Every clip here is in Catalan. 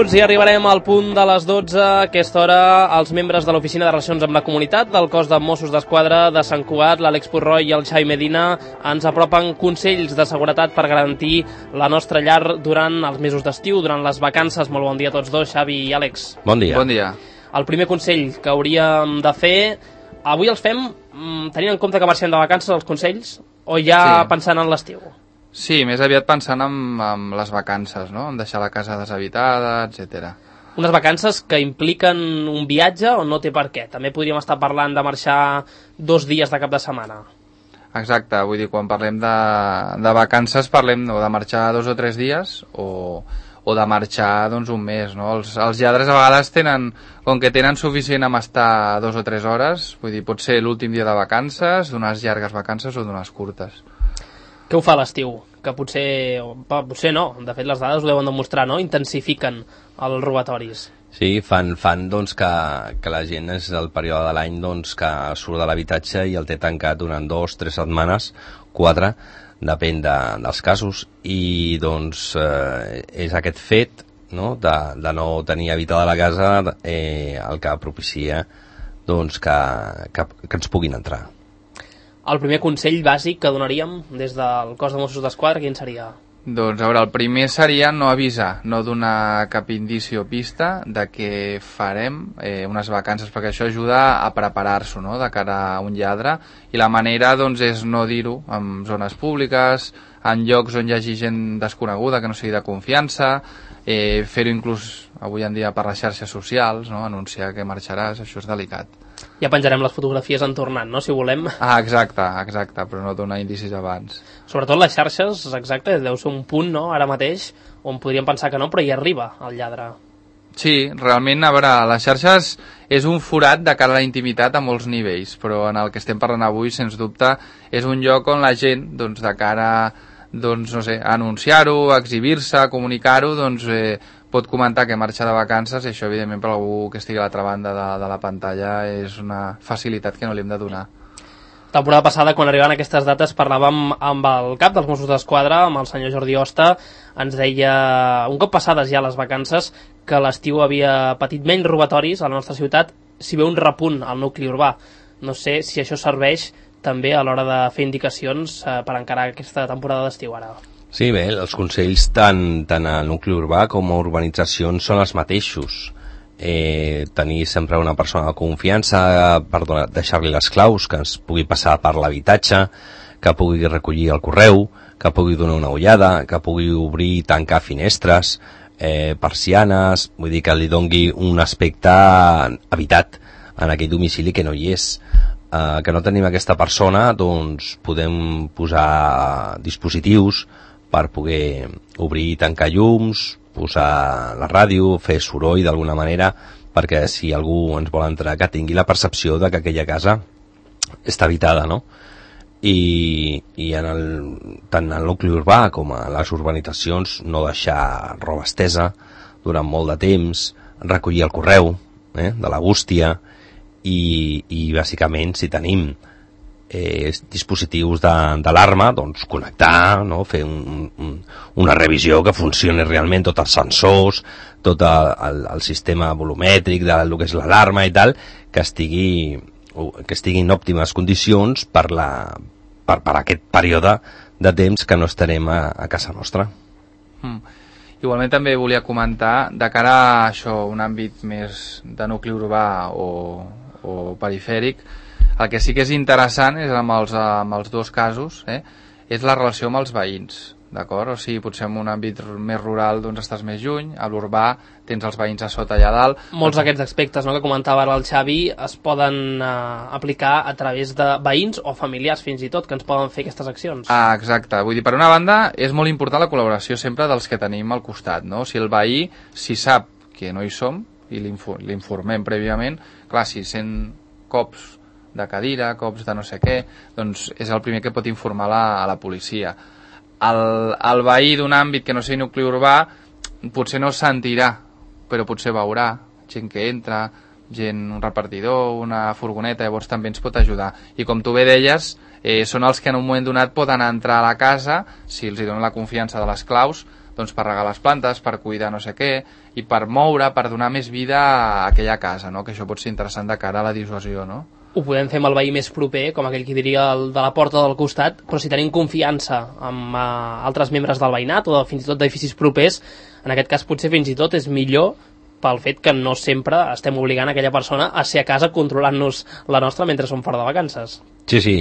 minuts i arribarem al punt de les 12. A aquesta hora, els membres de l'Oficina de Relacions amb la Comunitat del cos de Mossos d'Esquadra de Sant Cugat, l'Àlex Purroy i el Xavi Medina, ens apropen consells de seguretat per garantir la nostra llar durant els mesos d'estiu, durant les vacances. Molt bon dia a tots dos, Xavi i Àlex. Bon dia. Bon dia. El primer consell que hauríem de fer, avui els fem tenint en compte que marxem de vacances, els consells, o ja pensant en l'estiu? Sí, més aviat pensant en les vacances, no? En deixar la casa deshabitada, etc. Unes vacances que impliquen un viatge o no té per què? També podríem estar parlant de marxar 2 dies de cap de setmana. Exacte, vull dir, quan parlem de vacances parlem de marxar 2 o 3 dies o de marxar doncs un mes, no? Els lladres a vegades tenen, com que tenen suficient amb estar 2 o 3 hores, vull dir, pot ser l'últim dia de vacances, d'unes llargues vacances o d'unes curtes. Què ho fa l'estiu? Que potser no, de fet les dades ho deuen demostrar, no? Intensifiquen els robatoris. Sí, fan doncs, que la gent és el període de l'any doncs, que surt de l'habitatge i el té tancat durant 2 o 3 setmanes, 4, depèn dels casos, i doncs és aquest fet, no?, de no tenir habitada la casa el que propicia doncs, que ens puguin entrar. El primer consell bàsic que donaríem des del cos de Mossos d'Esquadra, quin seria? Doncs, a veure, el primer seria no avisar, no donar cap indici o pista de que farem unes vacances, perquè això ajuda a preparar-s'ho, no?, de cara a un lladre, i la manera, doncs, és no dir-ho en zones públiques, en llocs on hi hagi gent desconeguda, que no sigui de confiança, fer-ho inclús avui en dia per les xarxes socials, no?, anunciar que marxaràs, això és delicat. Ja penjarem les fotografies en tornant, no?, si volem. Exacte, però no donar indicis abans. Sobretot les xarxes, exacte, deu ser un punt, no?, ara mateix, on podríem pensar que no, però hi arriba el lladre. Sí, realment, a veure, les xarxes és un forat de cara a la intimitat a molts nivells, però en el que estem parlant avui, sens dubte, és un lloc on la gent, doncs, de cara, doncs, no sé, a anunciar-ho, a exhibir-se, a comunicar-ho, doncs, pot comentar que marxa de vacances, i això, evidentment, per algú que estigui a l'altra banda de la pantalla és una facilitat que no li hem de donar. Temporada passada, quan arribaven aquestes dates, parlàvem amb el cap dels Mossos d'Esquadra, amb el senyor Jordi Osta, ens deia, un cop passades ja les vacances, que l'estiu havia patit menys robatoris a la nostra ciutat, si ve un repunt al nucli urbà. No sé si això serveix també a l'hora de fer indicacions per encarar aquesta temporada d'estiu ara. Sí, bé, els consells tant al nucli urbà com a urbanitzacions són els mateixos. Tenir sempre una persona de confiança per deixar-li les claus, que ens pugui passar per l'habitatge, que pugui recollir el correu, que pugui donar una ullada, que pugui obrir i tancar finestres, persianes, vull dir que li dongui un aspecte habitat en aquell domicili que no hi és. Que no tenim aquesta persona, doncs podem posar dispositius per poder obrir i tancar llums, posar la ràdio, fer soroll d'alguna manera, perquè si algú ens vol entrar que tingui la percepció de que aquella casa està habitada, no? I tant al nucli urbà com a les urbanitzacions no deixar roba estesa durant molt de temps, recollir el correu de la bústia i bàsicament si tenim dispositius d'alarma, doncs connectar, no? Fer una revisió que funcioni realment, tots els sensors, tot el sistema volumètric del que és l'alarma i tal, que estigui en òptimes condicions per aquest període de temps que no estarem a casa nostra. Igualment també volia comentar, de cara a això, un àmbit més de nucli urbà o perifèric, el que sí que és interessant és amb els dos casos, és la relació amb els veïns, d'acord? O sigui, potser en un àmbit més rural doncs estàs més lluny, a l'urbà tens els veïns a sota allà dalt. Molts d'aquests aspectes, no?, que comentava ara el Xavi es poden aplicar a través de veïns o familiars fins i tot, que ens poden fer aquestes accions. Exacte, vull dir, per una banda és molt important la col·laboració sempre dels que tenim al costat, no? Si el veí, si sap que no hi som i l'informem prèviament, clar, si sent cops de cadira, cops de no sé què, doncs és el primer que pot informar a la policia. El veí d'un àmbit que no sigui nucli urbà potser no sentirà, però potser veurà gent que entra, un repartidor, una furgoneta, llavors també ens pot ajudar. I com tu bé deies, són els que en un moment donat poden entrar a la casa, si els donen la confiança de les claus, doncs per regar les plantes, per cuidar no sé què, i per moure, per donar més vida a aquella casa, no? Que això pot ser interessant de cara a la dissuasió, no? Ho podem fer amb el veí més proper, com aquell que diria el de la porta del costat, però si tenim confiança amb altres membres del veïnat o fins i tot d'edificis propers, en aquest cas potser fins i tot és millor pel fet que no sempre estem obligant aquella persona a ser a casa controlant-nos la nostra mentre som fora de vacances. Sí,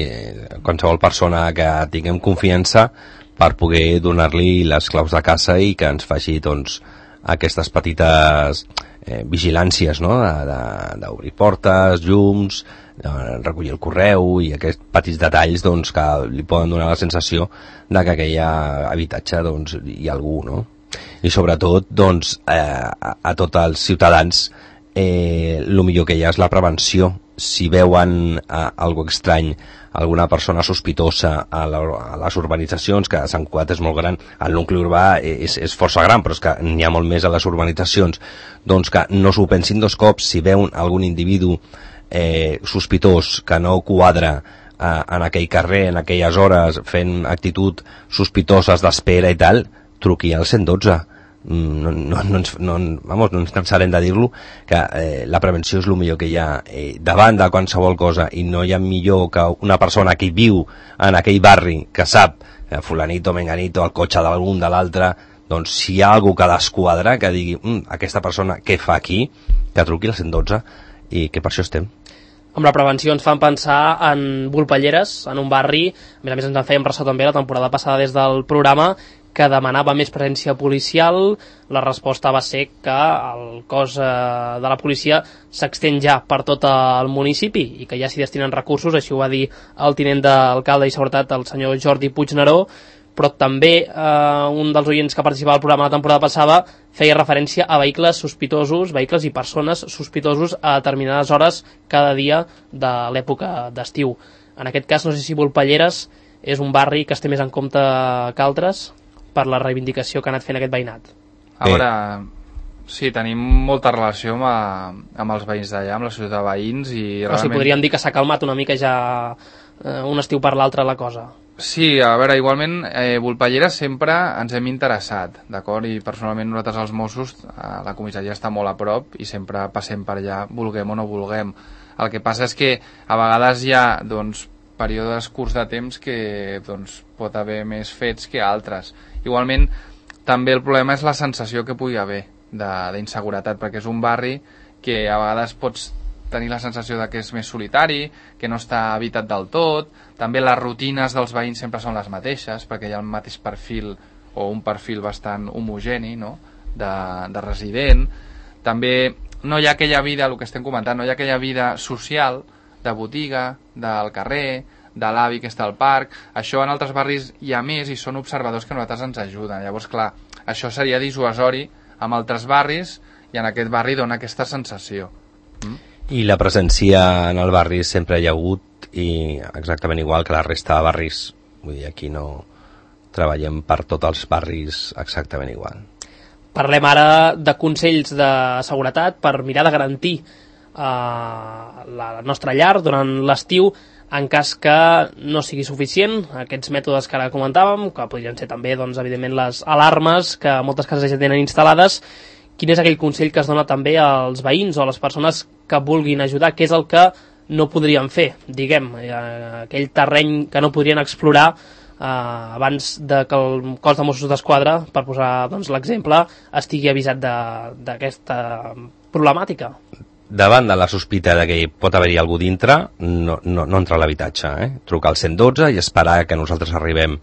qualsevol persona que tinguem confiança per poder donar-li les claus de casa i que ens faci doncs, aquestes petites vigilàncies, no? D'obrir portes, llums, recollir el correu i aquests petits detalls doncs, que li poden donar la sensació de que aquell habitatge doncs, hi ha algú, no? I sobretot doncs, a tots els ciutadans el millor que hi ha és la prevenció. Si veuen algo estrany, alguna persona sospitosa a les urbanitzacions, que Sant Cugat és molt gran, el nucli urbà és força gran, però és que n'hi ha molt més a les urbanitzacions, doncs que no s'ho pensin dos cops. Si veuen algun individu sospitós que no quadra en aquell carrer, en aquelles hores, fent actitud sospitoses d'espera i tal, truqui al 112. No ens cansarem de dir-lo, que la prevenció és el millor que hi ha davant de qualsevol cosa, i no hi ha millor que una persona que viu en aquell barri, que sap fulanito, menganito, el cotxe d'algun de l'altre, doncs si hi ha algú que desquadra, que digui aquesta persona què fa aquí, que truqui al 112, i que per això estem. Amb la prevenció ens fan pensar en Volpelleres, en un barri, a més ens en fèiem ressò també la temporada passada des del programa, que demanava més presència policial. La resposta va ser que el cos de la policia s'extén ja per tot el municipi i que ja s'hi destinen recursos, així ho va dir el tinent d'alcalde i seguretat, el senyor Jordi Puigneró, però també un dels oients que participava al programa la temporada passada feia referència a vehicles sospitosos, vehicles i persones sospitosos a determinades hores cada dia de l'època d'estiu. En aquest cas, no sé si Volpelleres és un barri que es té més en compte que altres per la reivindicació que ha anat fent aquest veïnat. A veure, sí, tenim molta relació amb els veïns d'allà, amb la ciutat de veïns, i realment... O sigui, podríem dir que s'ha calmat una mica ja un estiu per l'altre la cosa. Sí, a veure, igualment, Volpelleres sempre ens hem interessat, d'acord? I personalment nosaltres els Mossos, la comissaria està molt a prop i sempre passem per allà, vulguem o no vulguem. El que passa és que a vegades hi ha, doncs, períodes curts de temps que doncs, pot haver més fets que altres. Igualment, també el problema és la sensació que pugui haver d'inseguretat, perquè és un barri que a vegades pots tenir la sensació de que és més solitari, que no està habitat del tot. També les rutines dels veïns sempre són les mateixes, perquè hi ha el mateix perfil o un perfil bastant homogeni, no? de resident. També no hi ha aquella vida, el que estem comentant, no hi ha aquella vida social de botiga, del carrer, de l'avi que està al parc. Això en altres barris hi ha més i són observadors que a nosaltres ens ajuden. Llavors, clar, això seria dissuasori amb altres barris i en aquest barri dona aquesta sensació. I la presència en el barri sempre hi ha hagut, i exactament igual que la resta de barris. Vull dir, aquí no treballem per tots els barris exactament igual. Parlem ara de consells de seguretat per mirar de garantir la nostra llar durant l'estiu, en cas que no sigui suficient aquests mètodes que ara comentàvem, que podrien ser també, doncs, evidentment, les alarmes que moltes cases ja tenen instal·lades. Quin és aquell consell que es dona també als veïns o a les persones que vulguin ajudar? Què és el que no podrien fer, diguem, aquell terreny que no podrien explorar abans de que el cos de Mossos d'Esquadra, per posar doncs, l'exemple, estigui avisat d'aquesta problemàtica? Davant de la sospita de que pot haver-hi algú dintre, no entrar a l'habitatge, trucar al 112 i esperar que nosaltres arribem.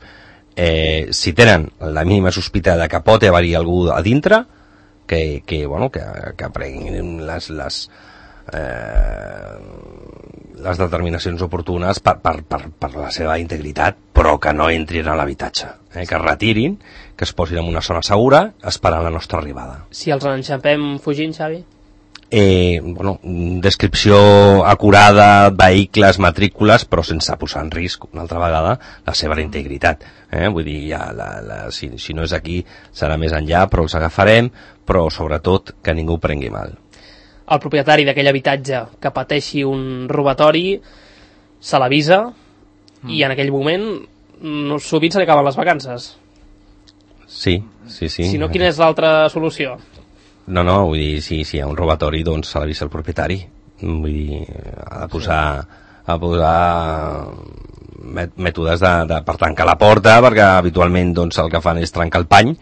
Si tenen la mínima sospita de que pot haver-hi algú a dintre, que prenguin les determinacions oportunes per la seva integritat, però que no entrin a l'habitatge, que es retirin, que es posin en una zona segura esperant la nostra arribada. Si els enxampem fugint, Xavi? Descripció acurada, vehicles, matrícules, però sense posar en risc una altra vegada la seva integritat. Vull dir, si no és aquí serà més enllà, però els agafarem, però sobretot que ningú prengui mal. El propietari d'aquell habitatge que pateixi un robatori se l'avisa i en aquell moment sovint se li acaben les vacances. Sí. Si no, quina és l'altra solució? No, vull dir, si hi ha un robatori, doncs s'ha d'avisar el propietari. Vull dir, ha de posar mètodes per tancar la porta, perquè habitualment doncs, el que fan és trencar el pany,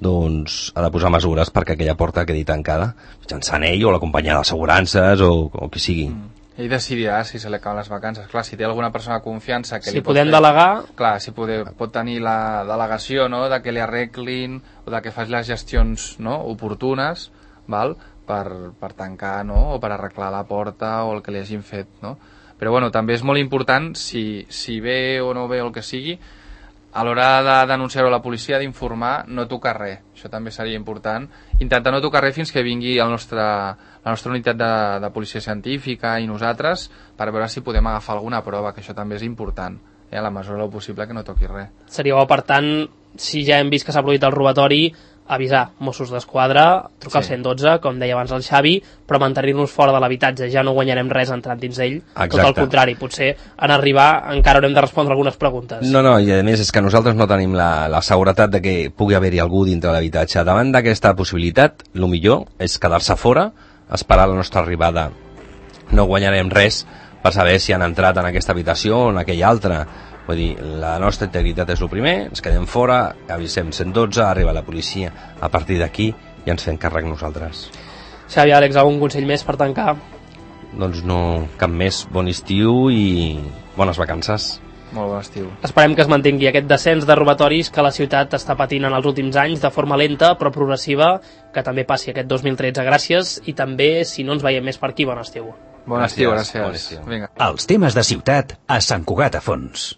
doncs ha de posar mesures perquè aquella porta quedi tancada, mitjançant ell o la companyia d'assegurances o qui sigui. Ell decidirà si se li acaben les vacances. Clar, si té alguna persona de confiança que si podem delegar... Clar, si pot tenir la delegació, no?, de que li arreglin o de que faci les gestions, no?, oportunes, val?, per tancar, no?, o per arreglar la porta o el que li hagin fet, no? Però bueno, també és molt important, si ve o no ve o el que sigui, a l'hora de denunciar-ho a la policia, d'informar, no tocar res. Això també seria important. Intentar no tocar res fins que vingui la nostra unitat de policia científica i nosaltres per veure si podem agafar alguna prova, que això també és important. A la mesura del possible que no toqui res. Seria bo, per tant, si ja hem vist que s'ha produït el robatori, avisar Mossos d'Esquadra, trucar al 112, com deia abans el Xavi, però mantenir-nos fora de l'habitatge. Ja no guanyarem res entrant dins d'ell. Tot el contrari, potser en arribar encara haurem de respondre algunes preguntes. No, i a més és que nosaltres no tenim la seguretat de que pugui haver-hi algú dintre l'habitatge. Davant d'aquesta possibilitat, el millor és quedar-se fora, esperar la nostra arribada. No guanyarem res per saber si han entrat en aquesta habitació o en aquella altra. Vull dir, la nostra integritat és el primer, ens quedem fora, avisem 112, arriba la policia, a partir d'aquí ja ens fem càrrec nosaltres. Xavi, Àlex, algun consell més per tancar? Doncs no, cap més. Bon estiu i bones vacances. Molt bon estiu. Esperem que es mantingui aquest descens de robatoris que la ciutat està patint en els últims anys de forma lenta però progressiva, que també passi aquest 2013. Gràcies, i també, si no ens veiem més per aquí, bon estiu. Bon estiu, gràcies. Els temes de ciutat a Sant Cugat a Fons.